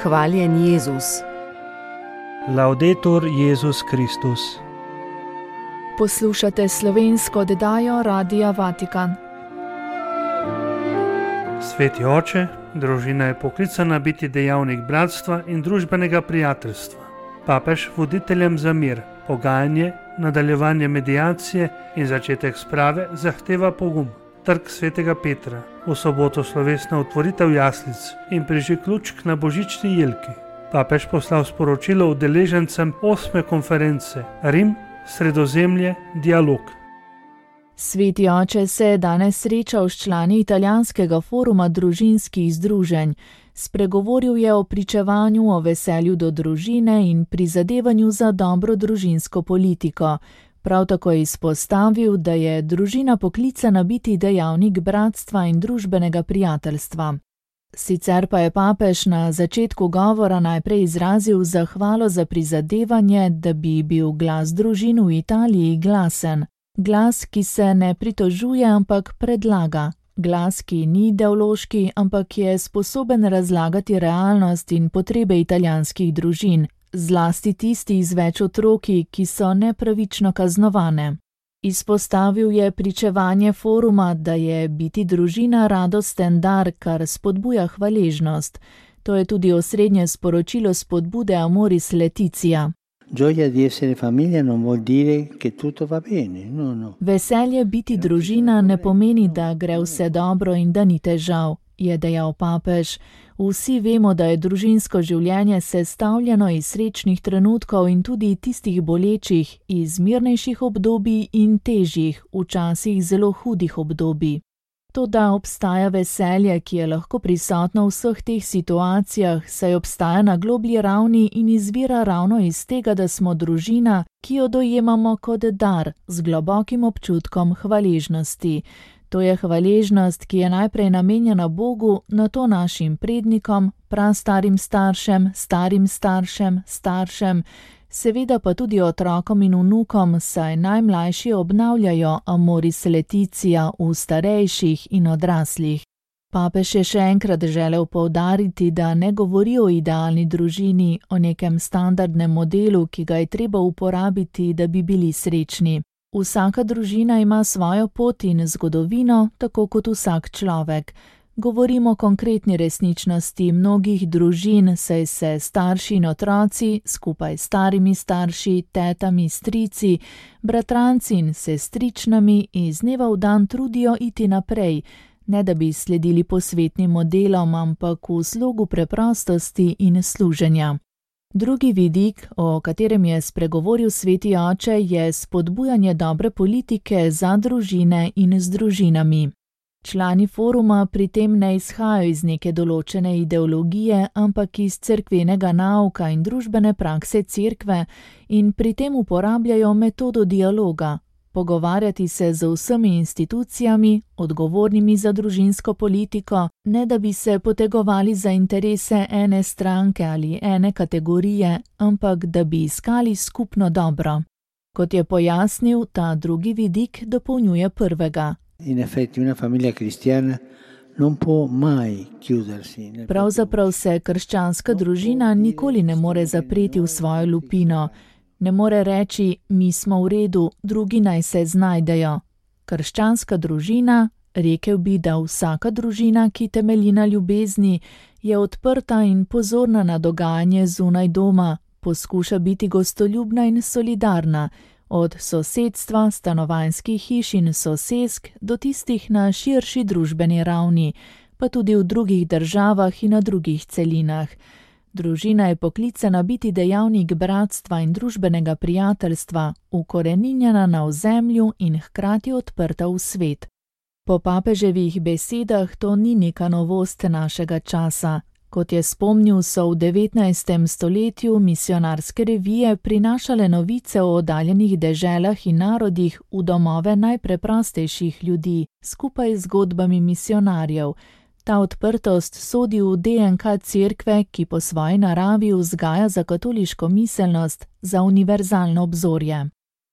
Hvaljen Jezus. Laudetur Jezus Kristus. Poslušate slovensko oddajo Radia Vatikan. Sveti oče, družina je poklicana biti dejavnik bratstva in družbenega prijateljstva. Papež voditeljem za mir, pogajanje, nadaljevanje mediacije in začetek sprave zahteva pogum. Trg svetega Petra, v soboto slovesna otvoritev jaslic in prižig lučk na božični jelki. Papež poslal sporočilo udeležencem 8. konference Rim, Sredozemlje, dialog. Sveti oče se je danes srečal s člani italijanskega foruma družinskih združenj. Spregovoril je o pričevanju o veselju do družine in prizadevanju za dobro družinsko politiko. Prav tako je izpostavil, da je družina poklicana biti dejavnik bratstva in družbenega prijateljstva. Sicer pa je papež na začetku govora najprej izrazil zahvalo za prizadevanje, da bi bil glas družin v Italiji glasen. Glas, ki se ne pritožuje, ampak predlaga. Glas, ki ni ideološki, ampak je sposoben razlagati realnost in potrebe italijanskih družin, zlasti tisti z več otroki, ki so nepravično kaznovane. Izpostavil je pričevanje foruma, da je biti družina radosten dar, kar spodbuja hvaležnost. To je tudi osrednje sporočilo spodbude Amoris Laetitia. Gioia di essere famiglia non vuol dire che tutto va bene, no. Veselje biti družina ne pomeni, da gre vse dobro in da ni težav, je dejal papež. Vsi vemo, da je družinsko življenje sestavljeno iz srečnih trenutkov in tudi tistih bolečih, iz mirnejših obdobij in težjih, včasih zelo hudih obdobij. Toda obstaja veselje, ki je lahko prisotno v vseh teh situacijah, saj obstaja na globlji ravni in izvira ravno iz tega, da smo družina, ki jo dojemamo kot dar, z globokim občutkom hvaležnosti. To je hvaležnost, ki je najprej namenjena Bogu, nato našim prednikom, prastarim staršem, starim staršem, staršem, seveda pa tudi otrokom in vnukom, saj najmlajši obnavljajo Amoris Laetitia v starejših in odraslih. Papež je še enkrat želel poudariti, da ne govori o idealni družini, o nekem standardnem modelu, ki ga je treba uporabiti, da bi bili srečni. Vsaka družina ima svojo pot in zgodovino, tako kot vsak človek. Govorimo o konkretni resničnosti mnogih družin, saj se starši in otroci, skupaj s starimi starši, tetami, strici, bratranci in sestričnami iz dneva v dan trudijo iti naprej, ne da bi sledili posvetnim modelom, ampak v slogu preprostosti in služenja. Drugi vidik, o katerem je spregovoril sveti oče, je spodbujanje dobre politike za družine in z družinami. Člani foruma pri tem ne izhajajo iz neke določene ideologije, ampak iz cerkvenega nauka in družbene prakse cerkve in pri tem uporabljajo metodo dialoga. Pogovarjati se z vsemi institucijami, odgovornimi za družinsko politiko, ne da bi se potegovali za interese ene stranke ali ene kategorije, ampak da bi iskali skupno dobro. Kot je pojasnil, ta drugi vidik dopolnjuje prvega. In effetti una famiglia cristiana non può mai chiudersi. Pravzaprav se krščanska družina nikoli ne more zapreti v svojo lupino. Ne more reči, mi smo v redu, drugi naj se znajdejo. Krščanska družina, rekel bi, da vsaka družina, ki temelji na ljubezni, je odprta in pozorna na dogajanje zunaj doma, poskuša biti gostoljubna in solidarna, od sosedstva, stanovanjskih hiš in sosesk do tistih na širši družbeni ravni, pa tudi v drugih državah in na drugih celinah. Družina je poklicana biti dejavnik bratstva in družbenega prijateljstva, ukoreninjena na ozemlju in hkrati odprta v svet. Po papeževih besedah to ni neka novost našega časa. Kot je spomnil, so v 19. stoletju misionarske revije prinašale novice o oddaljenih deželah in narodih v domove najpreprostejših ljudi, skupaj z zgodbami misionarjev. Ta odprtost sodi v DNK cerkve, ki po svoji naravi vzgaja za katoliško miselnost, za univerzalno obzorje.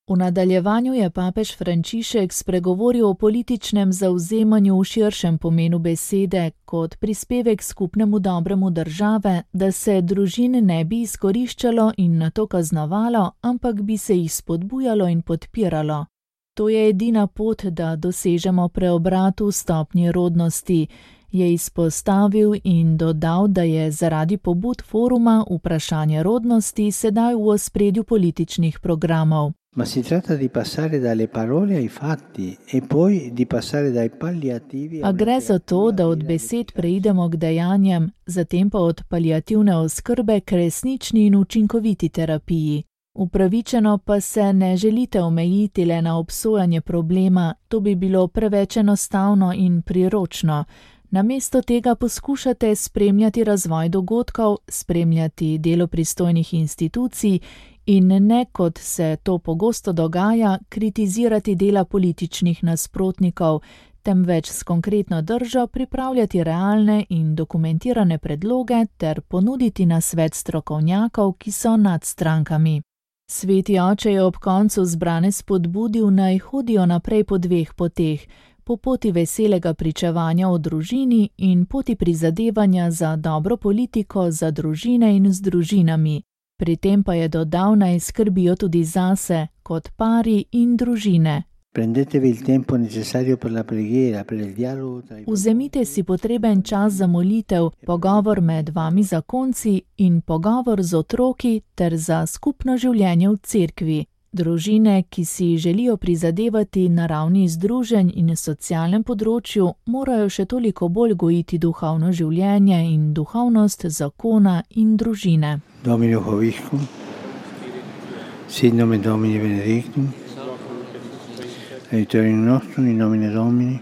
V nadaljevanju je papež Frančišek spregovoril o političnem zavzemanju v širšem pomenu besede kot prispevek skupnemu dobremu države, da se družin ne bi izkoriščalo in nato kaznovalo, ampak bi se jih spodbujalo in podpiralo. To je edina pot, da dosežemo preobrat v stopnji rodnosti, je izpostavil in dodal, da je zaradi pobud foruma vprašanje rodnosti sedaj v ospredju političnih programov. Ma si tratta di passare dalle parole ai fatti e poi di passare dai palliativi. A gre za to, da od besed preidemo k dejanjem, zatem pa od paliativne oskrbe k resnični in učinkoviti terapiji. Upravičeno pa se ne želite omejiti le na obsojanje problema, to bi bilo preveč enostavno in priročno. Namesto tega poskušate spremljati razvoj dogodkov, spremljati delo pristojnih institucij in ne, kot se to pogosto dogaja, kritizirati dela političnih nasprotnikov, temveč s konkretno držo pripravljati realne in dokumentirane predloge ter ponuditi nasvet strokovnjakov, ki so nad strankami. Sveti oče je ob koncu zbrane spodbudil, naj hodijo naprej po dveh poteh, po poti veselega pričevanja o družini in poti prizadevanja za dobro politiko za družine in z družinami. Pri tem pa je dodal, naj skrbijo tudi zase, kot pari in družine. Prendetevi il tempo necessario per la preghiera, per il dialogo tra i... Vzemite si potreben čas za molitev, pogovor med vami zakonci in pogovor z otroki ter za skupno življenje v cerkvi. Družine, ki si želijo prizadevati na ravni združenj in socialnem področju, morajo še toliko bolj gojiti duhovno življenje in duhovnost zakona in družine. Domini Hoviscum, sit nomen Domini benedictum, aiutorium nostrum in nomine Domini,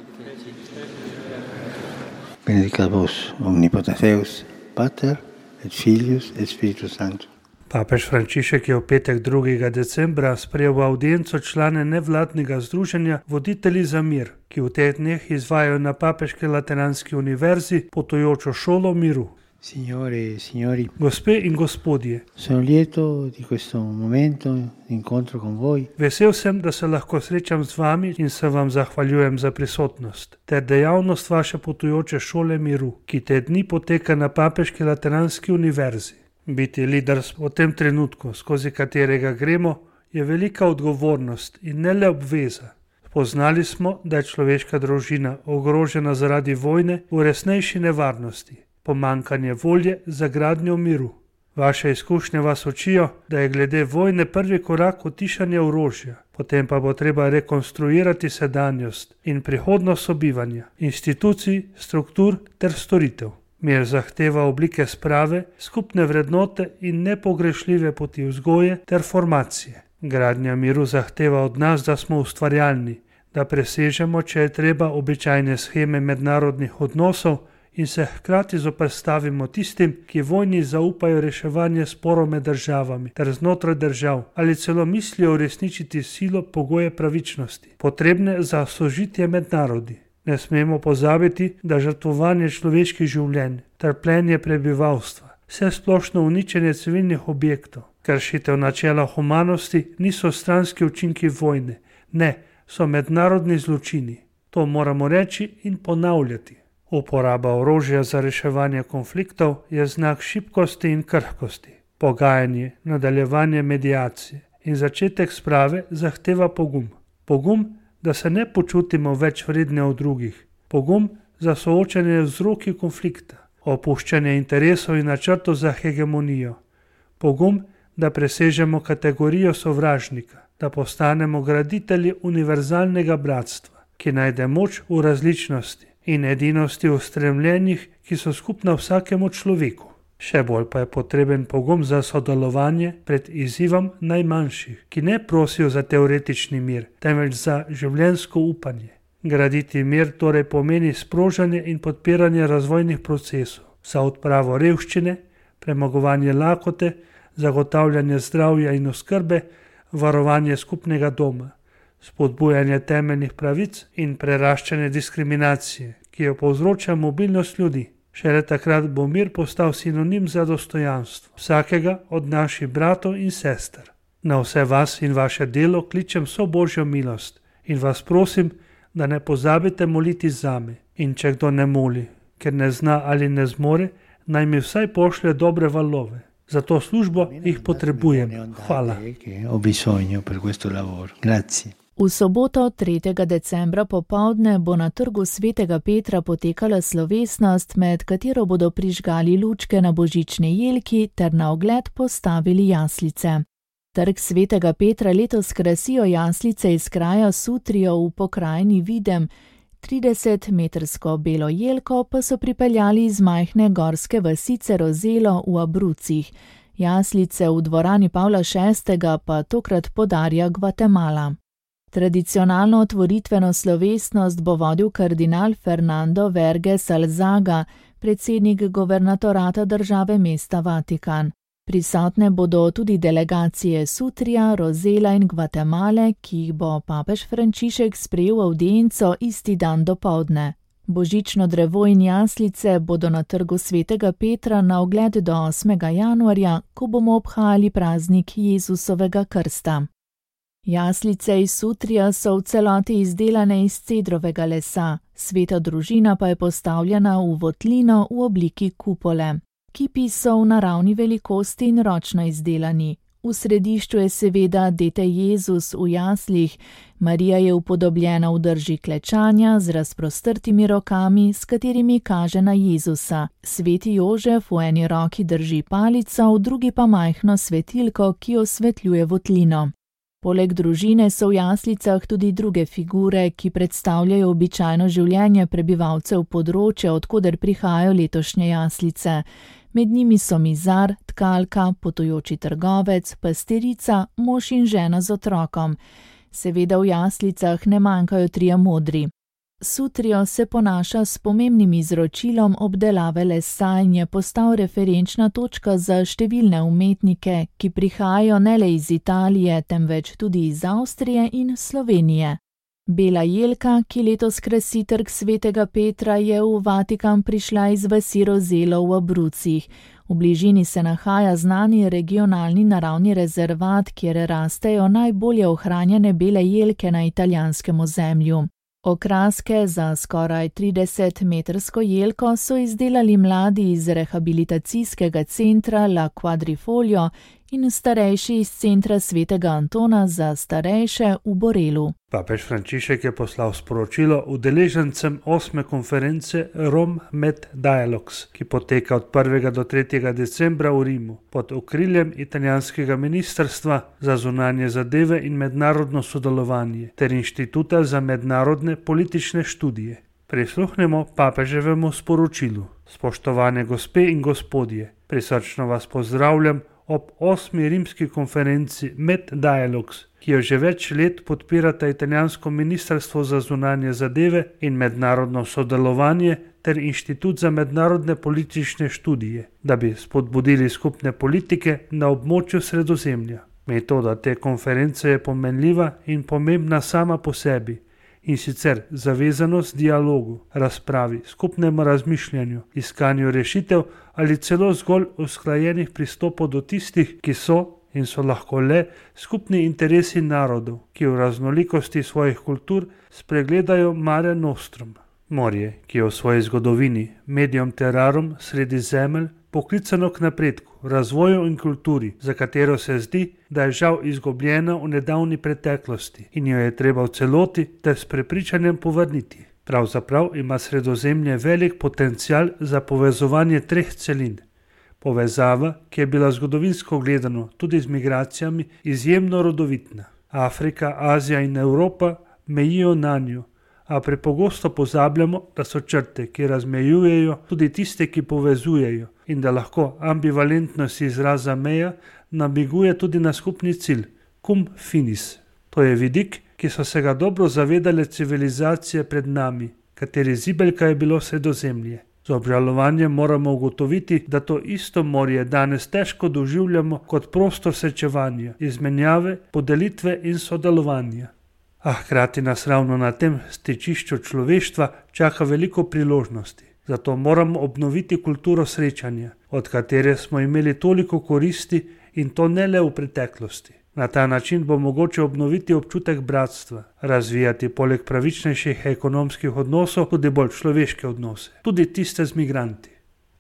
benedicat vos omnipotens Deus, Pater et Filius et Spiritus Sanctus. Papež Frančišek je v petek 2. decembra sprejel v audienco člane nevladnega združenja Voditelji za mir, ki v teh dneh izvajajo na Papeški Lateranski univerzi potujočo šolo miru. Signore e signori, Gospe in gospodje, sono lieto di questo momento di incontro con voi. Vesel sem, da se lahko srečam z vami in se vam zahvaljujem za prisotnost ter dejavnost vaše potujoče šole miru, ki te dni poteka na Papeški Lateranski univerzi. Biti lider v tem trenutku, skozi katerega gremo, je velika odgovornost in ne le obveza. Spoznali smo, da je človeška družina ogrožena zaradi vojne v resnejši nevarnosti, pomanjkanje volje za gradnjo miru. Vaše izkušnje vas učijo, da je glede vojne prvi korak utišanje orožja, potem pa bo treba rekonstruirati sedanjost in prihodnost sobivanja, institucij, struktur ter storitev. Mir zahteva oblike sprave, skupne vrednote in nepogrešljive poti vzgoje ter formacije. Gradnja miru zahteva od nas, da smo ustvarjalni, da presežemo, če je treba, običajne sheme mednarodnih odnosov in se hkrati zoperstavimo tistim, ki vojni zaupajo reševanje sporov med državami ter znotraj držav ali celo mislijo uresničiti silo pogoje pravičnosti, potrebne za sožitje med narodi. Ne smemo pozabiti, da žrtvovanje človeških življenj, trpljenje prebivalstva, vsesplošno uničenje civilnih objektov, kršitev načela humanosti niso stranski učinki vojne, ne, so mednarodni zločini. To moramo reči in ponavljati. Uporaba orožja za reševanje konfliktov je znak šibkosti in krhkosti. Pogajanje, nadaljevanje mediacije in začetek sprave zahteva pogum. Pogum, da se ne počutimo več vredne od drugih. Pogum za soočanje z vzroki konflikta, opuščanje interesov in načrtov za hegemonijo. Pogum, da presežemo kategorijo sovražnika, da postanemo graditelji univerzalnega bratstva, ki najde moč v različnosti in edinosti v stremljenjih, ki so skupna vsakemu človeku. Še bolj pa je potreben pogum za sodelovanje pred izzivom najmanjših, ki ne prosijo za teoretični mir, temveč za življenjsko upanje. Graditi mir torej pomeni sprožanje in podpiranje razvojnih procesov za odpravo revščine, premagovanje lakote, zagotavljanje zdravja in oskrbe, varovanje skupnega doma, spodbujanje temeljnih pravic in preraščanje diskriminacije, ki jo povzroča mobilnost ljudi. Šele takrat bo mir postal sinonim za dostojanstvo vsakega od naših bratov in sester. Na vse vas in vaše delo kličem vso Božjo milost in vas prosim, da ne pozabite moliti zame. In če kdo ne moli, ker ne zna ali ne zmore, naj mi vsaj pošlje dobre valove. Za to službo jih potrebujem. Hvala. V soboto 3. decembra popoldne bo na trgu svetega Petra potekala slovesnost, med katero bodo prižgali lučke na božični jelki ter na ogled postavili jaslice. Trg svetega Petra letos krasijo jaslice iz kraja Sutrijo v pokrajini Videm, 30-metrsko belo jelko pa so pripeljali iz majhne gorske vasice Rozelo v Abrucih. Jaslice v dvorani Pavla VI. Pa tokrat podarja Gvatemala. Tradicionalno otvoritveno slovesnost bo vodil kardinal Fernando Verges Alzaga, predsednik guvernatorata države mesta Vatikan. Prisotne bodo tudi delegacije Sutrija, Rozela in Gvatemale, ki jih bo papež Frančišek sprejel v avdienco isti dan dopoldne. Božično drevo in jaslice bodo na trgu svetega Petra na ogled do 8. januarja, ko bomo obhajali praznik Jezusovega krsta. Jaslice iz Sutrija so v celoti izdelane iz cedrovega lesa, sveta družina pa je postavljena v votlino v obliki kupole. Kipi so v naravni velikosti in ročno izdelani. V središču je seveda dete Jezus v jaslih, Marija je upodobljena v drži klečanja z razprostrtimi rokami, s katerimi kaže na Jezusa. Sveti Jožef v eni roki drži palico, v drugi pa majhno svetilko, ki osvetljuje votlino. Poleg družine so v jaslicah tudi druge figure, ki predstavljajo običajno življenje prebivalcev področja, odkoder prihajajo letošnje jaslice. Med njimi so mizar, tkalka, potujoči trgovec, pasterica, mož in žena z otrokom. Seveda v jaslicah ne manjkajo trije modri. Sutrijo se ponaša s pomembnim izročilom obdelave lesa in je postal referenčna točka za številne umetnike, ki prihajajo ne le iz Italije, temveč tudi iz Avstrije in Slovenije. Bela jelka, ki letos krasi trg svetega Petra, je v Vatikan prišla iz vasi Rozelo v Abrucih. V bližini se nahaja znani regionalni naravni rezervat, kjer rastejo najbolje ohranjene bele jelke na italijanskem ozemlju. Okraske za skoraj 30-metrsko jelko so izdelali mladi iz rehabilitacijskega centra La Quadrifoglio in starejši iz centra svetega Antona za starejše v Borelu. Papež Frančišek je poslal sporočilo udeležencem 8. konference Rome Med Dialogues, ki poteka od 1. do 3. decembra v Rimu pod okriljem italijanskega ministrstva za zunanje zadeve in mednarodno sodelovanje ter Inštituta za mednarodne politične študije. Prisluhnemo papeževemu sporočilu. Spoštovane gospe in gospodje, prisrčno vas pozdravljam ob 8. rimski konferenci Med Dialogues, ki jo že več let podpirata italijansko ministrstvo za zunanje zadeve in mednarodno sodelovanje ter Inštitut za mednarodne politične študije, da bi spodbudili skupne politike na območju Sredozemlja. Metoda te konference je pomenljiva in pomembna sama po sebi, in sicer zavezanost dialogu, razpravi, skupnemu razmišljanju, iskanju rešitev ali celo zgolj usklajenih pristopov do tistih, ki so in so lahko le skupni interesi narodov, ki v raznolikosti svojih kultur spregledajo Mare Nostrum. Morje, ki je v svoji zgodovini medium terrarum sredi zemelj, poklicano k napredku, razvoju in kulturi, za katero se zdi, da je žal izgubljena v nedavni preteklosti in jo je treba v celoti ter s prepričanjem povrniti. Pravzaprav ima Sredozemlje velik potencial za povezovanje treh celin. Povezava, ki je bila zgodovinsko gledano tudi z migracijami izjemno rodovitna. Afrika, Azija in Evropa mejijo nanjo, a prepogosto pozabljamo, da so črte, ki razmejujejo, tudi tiste, ki povezujejo, in da lahko ambivalentnost izraza meja namiguje tudi na skupni cilj, cum finis. To je vidik, ki so se ga dobro zavedale civilizacije pred nami, kateri zibelka je bilo Sredozemlje. Z obžalovanjem moramo ugotoviti, da to isto morje danes težko doživljamo kot prostor srečevanja, izmenjave, podelitve in sodelovanja. A hkrati nas ravno na tem stičišču človeštva čaka veliko priložnosti. Zato moramo obnoviti kulturo srečanja, od katere smo imeli toliko koristi in to ne le v preteklosti. Na ta način bo mogoče obnoviti občutek bratstva, razvijati poleg pravičnejših ekonomskih odnosov tudi bolj človeške odnose, tudi tiste z migranti.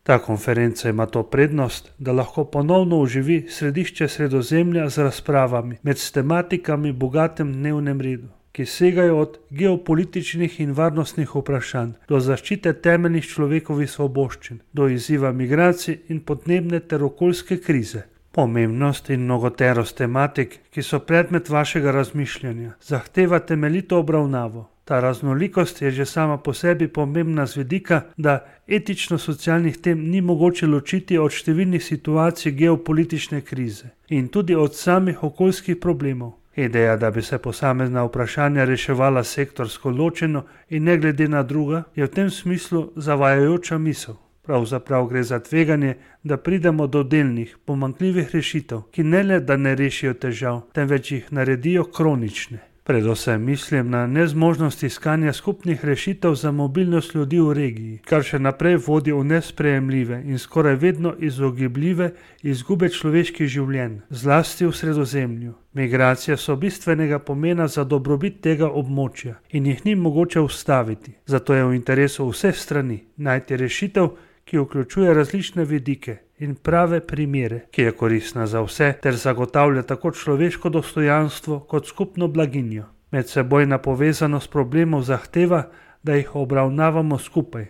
Ta konferenca ima to prednost, da lahko ponovno oživi središče Sredozemlja z razpravami med tematikami bogatem dnevnem redu, ki segajo od geopolitičnih in varnostnih vprašanj do zaščite temeljnih človekovih svoboščin, do izziva migracij in podnebne ter okoljske krize. Pomembnost in mnogoterost tematik, ki so predmet vašega razmišljanja, zahteva temeljito obravnavo. Ta raznolikost je že sama po sebi pomembna z vidika, da etično-socialnih tem ni mogoče ločiti od številnih situacij geopolitične krize in tudi od samih okoljskih problemov. Ideja, da bi se posamezna vprašanja reševala sektorsko ločeno in ne glede na druga, je v tem smislu zavajajoča misel. Pravzaprav gre za tveganje, da pridemo do delnih, pomanjkljivih rešitev, ki ne le da ne rešijo težav, temveč jih naredijo kronične. Predvsem mislim na nezmožnost iskanja skupnih rešitev za mobilnost ljudi v regiji, kar še naprej vodi v nesprejemljive in skoraj vedno izogibljive izgube človeških življenj, zlasti v Sredozemlju. Migracije so bistvenega pomena za dobrobit tega območja in jih ni mogoče ustaviti, zato je v interesu vseh strani najti rešitev, ki vključuje različne vidike in prave primere, ki je koristna za vse ter zagotavlja tako človeško dostojanstvo kot skupno blaginjo. Medsebojna povezanost problemov zahteva, da jih obravnavamo skupaj,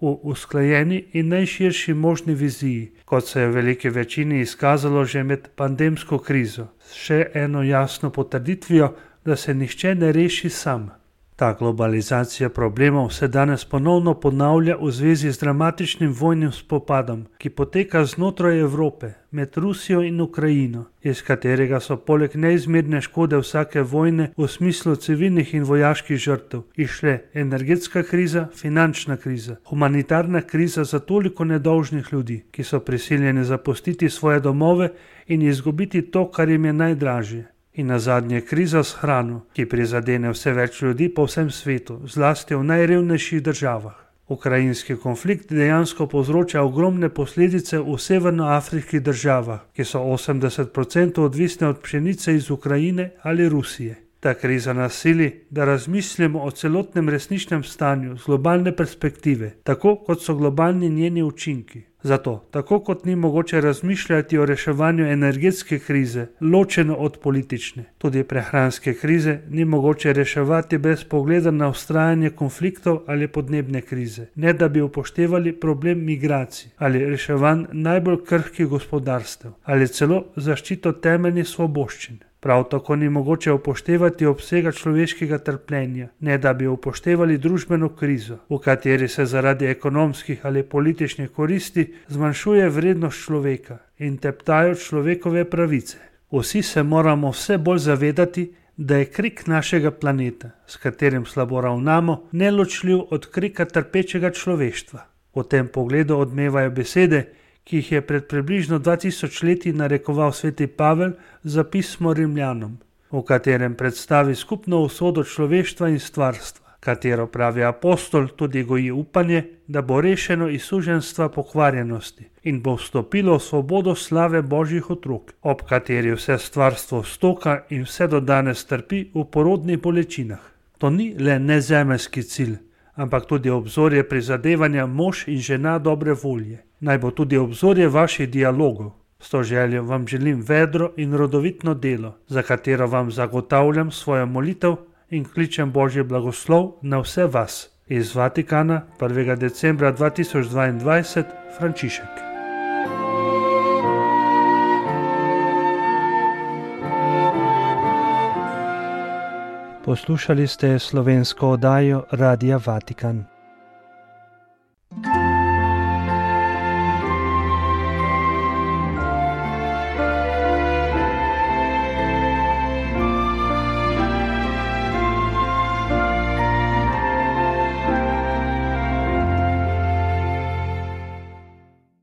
v usklajeni in najširši možni viziji, kot se je v veliki večini izkazalo že med pandemsko krizo, s še eno jasno potrditvijo, da se nihče ne reši sam. Ta globalizacija problemov se danes ponovno ponavlja v zvezi z dramatičnim vojnim spopadom, ki poteka znotraj Evrope, med Rusijo in Ukrajino, iz katerega so poleg neizmerne škode vsake vojne v smislu civilnih in vojaških žrtev išle energetska kriza, finančna kriza, humanitarna kriza za toliko nedolžnih ljudi, ki so prisiljeni zapustiti svoje domove in izgubiti to, kar jim je najdražje. In nazadnje kriza s hrano, ki prizadene vse več ljudi po vsem svetu, zlasti v najrevnejših državah. Ukrajinski konflikt dejansko povzroča ogromne posledice v severnoafriških državah, ki so 80% odvisne od pšenice iz Ukrajine ali Rusije. Ta kriza nas sili, da razmislimo o celotnem resničnem stanju z globalne perspektive, tako kot so globalni njeni učinki. Zato, tako kot ni mogoče razmišljati o reševanju energetske krize, ločeno od politične, tudi prehranske krize ni mogoče reševati brez pogleda na vztrajanje konfliktov ali podnebne krize, ne da bi upoštevali problem migracij ali reševanj najbolj krhkih gospodarstev ali celo zaščito temeljnih svoboščin. Prav tako ni mogoče upoštevati obsega človeškega trpljenja, ne da bi upoštevali družbeno krizo, v kateri se zaradi ekonomskih ali političnih koristi zmanjšuje vrednost človeka in teptajo človekove pravice. Vsi se moramo vse bolj zavedati, da je krik našega planeta, s katerim slabo ravnamo, neločljiv od krika trpečega človeštva. V tem pogledu odmevajo besede, ki jih je pred približno 2000 leti narekoval sveti Pavel za pismo Rimljanom, v katerem predstavi skupno usodo človeštva in stvarstva, katero pravi apostol tudi goji upanje, da bo rešeno iz suženjstva pokvarjenosti in bo vstopilo v svobodo slave Božjih otrok, ob kateri vse stvarstvo stoka in vse do danes trpi v porodnih bolečinah. To ni le nezemeljski cilj, ampak tudi obzorje prizadevanja mož in žena dobre volje. Naj bo tudi obzorje vaših dialogov. S to željo vam želim vedro in rodovitno delo, za katero vam zagotavljam svojo molitev in kličem Božji blagoslov na vse vas. Iz Vatikana 1. decembra 2022, Frančišek. Poslušali ste slovensko oddajo Radia Vatikan.